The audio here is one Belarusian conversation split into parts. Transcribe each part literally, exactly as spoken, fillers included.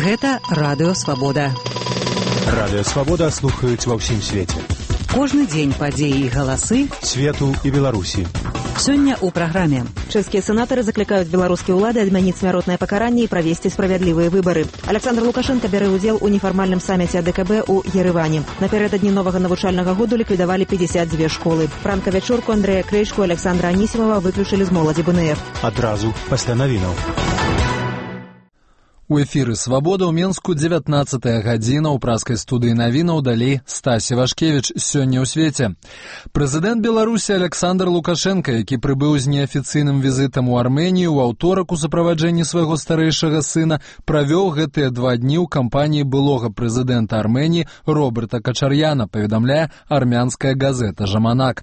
Гэта Радыё Свабода. Радыё Свабода слухаюць ва ўсім свеце. Кожны дзень падзеі і галасы свету і Беларусі. Сёння ў праграме. Чэшскія сенатары заклікаюць беларускія ўлады адмяніць смяротнае пакаранне і правесці справядлівыя выбары. Александр Лукашенко бярэ ўдзел у нефармальным саміце АДКБ у Ерэване. Напярэдадні новага навучальнага году ліквідавалі пятьдесят две школы. Пранка-вячорку Андрэя Крэйчку і Александра Анісімова выключылі з моладзі БНР. Адразу пасля навінаў. У эфіры «Свабода» ў Менску дзевятнаццатая гадзіна, ў праскай студыі навінаў далей Стасі Вашкевіч. Сёння ў свеце. Прэзідэнт Беларусі Александр Лукашенко, які прыбыў з неафіцыйным візітам у Арменію ў аўторак у суправаджэнні свайго старэйшага сына, правёў гэтыя два дні ў кампаніі былога прэзідэнта Арменіі Роберта Качарьяна, паведамляе армянская газета «Жаманак».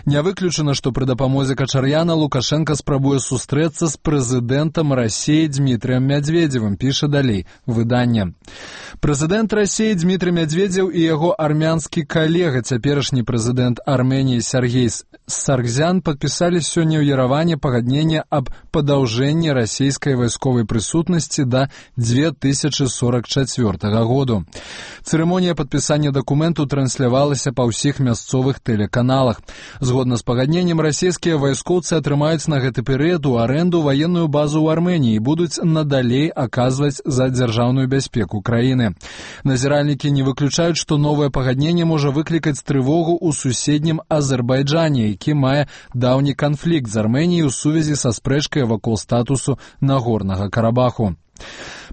Не выключана, што пры дапамозе Качарьяна Лукашенко спрабуе сустрэцца з прэзідэнтам Расіі Дмітрыем Мядзведзевым, піша далей выданне. Прэзідэнт Расіі Дмітрый Мядзведзеў і яго армянскі калега, цяперашні прэзідэнт Арменіі Сергей Саргзян, падпісалі сёння ў Ерэване пагадненне аб падаўжэнні расійскай вайсковай прысутнасці да две тысячы сорок чацвёртага году. Цырымонія падпісання дакументу транслявалася па ўсіх мясцовых тэлеканалах. Згодна з пагадненнем, расійскія вайскоўцы атрымаюць на гэты перыяд у арэнду ваенную базу ў Арменіі і будуць надалей аказваць за дзяржаўную бяспеку краіны. Назіральнікі не выключаюць, што новае пагадненне можа выклікаць трывогу ў суседнім Азербайджане, які мае даўні канфлікт з Арменіяй у сувязі са спрэчкай вакол статусу Нагорнага Карабаху.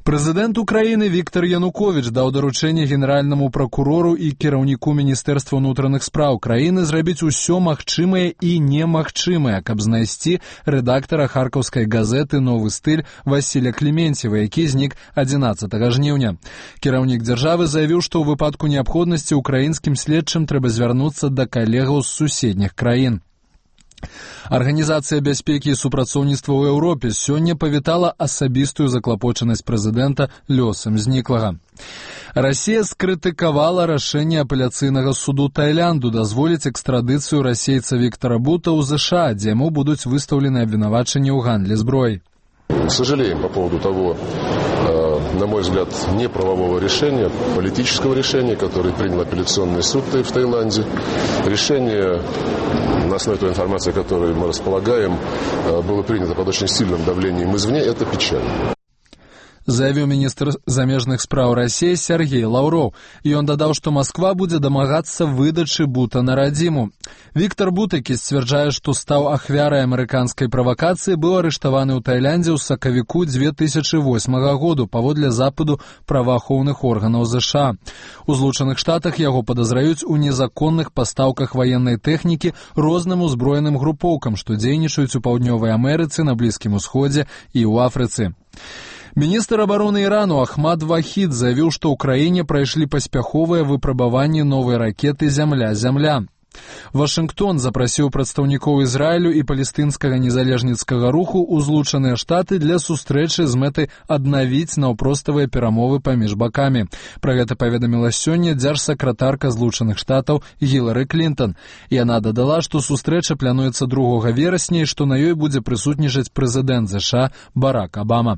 Прэзідэнт Украіны Віктор Януковіч даў даручэнне генеральнаму пракурору і кіраўніку Міністэрства ўнутраных спраў краіны зрабіць усё магчымае і немагчымае, каб знайсці рэдактара харкаўскай газеты «Новы стыль» Васіля Клементьева, які знік адзінаццатага жніўня. Кіраўнік дзяржавы заявіў, што ў выпадку неабходнасці украінскім следчым трэба звярнуцца да калегаў з суседніх краін. Арганізацыя бяспекі і супрацоўніцтва ў Еўропе сёння павітала асабістую заклапочанасць прэзідэнта лёсам зніклага. Расія скрытыкавала рашэнне апеляцыйнага суду Таіланду дазволіць экстрадыцыю расейца Віктора Бута ў ЗША, дзе яму будуць выстаўлены абвінавачанні ў гандлі зброяй. Сожалеем по поводу того, на мой взгляд, неправового решения, политического решения, которое принял апелляционный суд в Таиланде. Решение, на основе той информации, которой мы располагаем, было принято под очень сильным давлением извне. Это печально. Заявіў міністр замежных спраў Расіі Сергей Лаўроў. Ён дадаў, што Масква будзе дамагацца выдачы Бута на радзіму. Віктор Бут, які сцвярджае, што стаў ахвярай амерыканскай правакацыі, быў арыштаваны ў Таіландзе ў сакавіку две тысячы восьмага году паводле запыту праваахоўных органаў ЗША. У Злучаных Штатах яго падазраюць у незаконных пастаўках ваеннай тэхнікі розным узброеным групоўкам, што дзейнічаюць у Паўднёвай Амерыцы, на Блізкім Усходзе і ў Афрыцы. Міністр абароны Ірану Ахмад Вахід заявіў, што ў краіне прайшлі паспяховыя выпрабаванні новай ракеты «Зямля-Зямля». Вашынгтон запрасіў прадстаўнікоў Ізраілю і палестынскага незалежніцкага руху ў Злучаныя Штаты для сустрэчы з мэтай аднавіць наўпроставыя перамовы паміж бакамі. Пра гэта паведаміла сёння дзяржсакратарка Злучаных Штатаў Гілары Клінтон. Яна дадала, што сустрэча плануецца другога верасня і што на ёй будзе прысутнічаць прэзідэнт ЗША Барак Абама.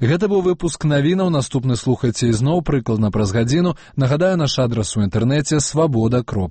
Гэта быў выпуск навінаў, наступны слухайце ізноў прыкладна праз гадзіну. Нагадаю, наш адрас у інтэрнэце свабода кропка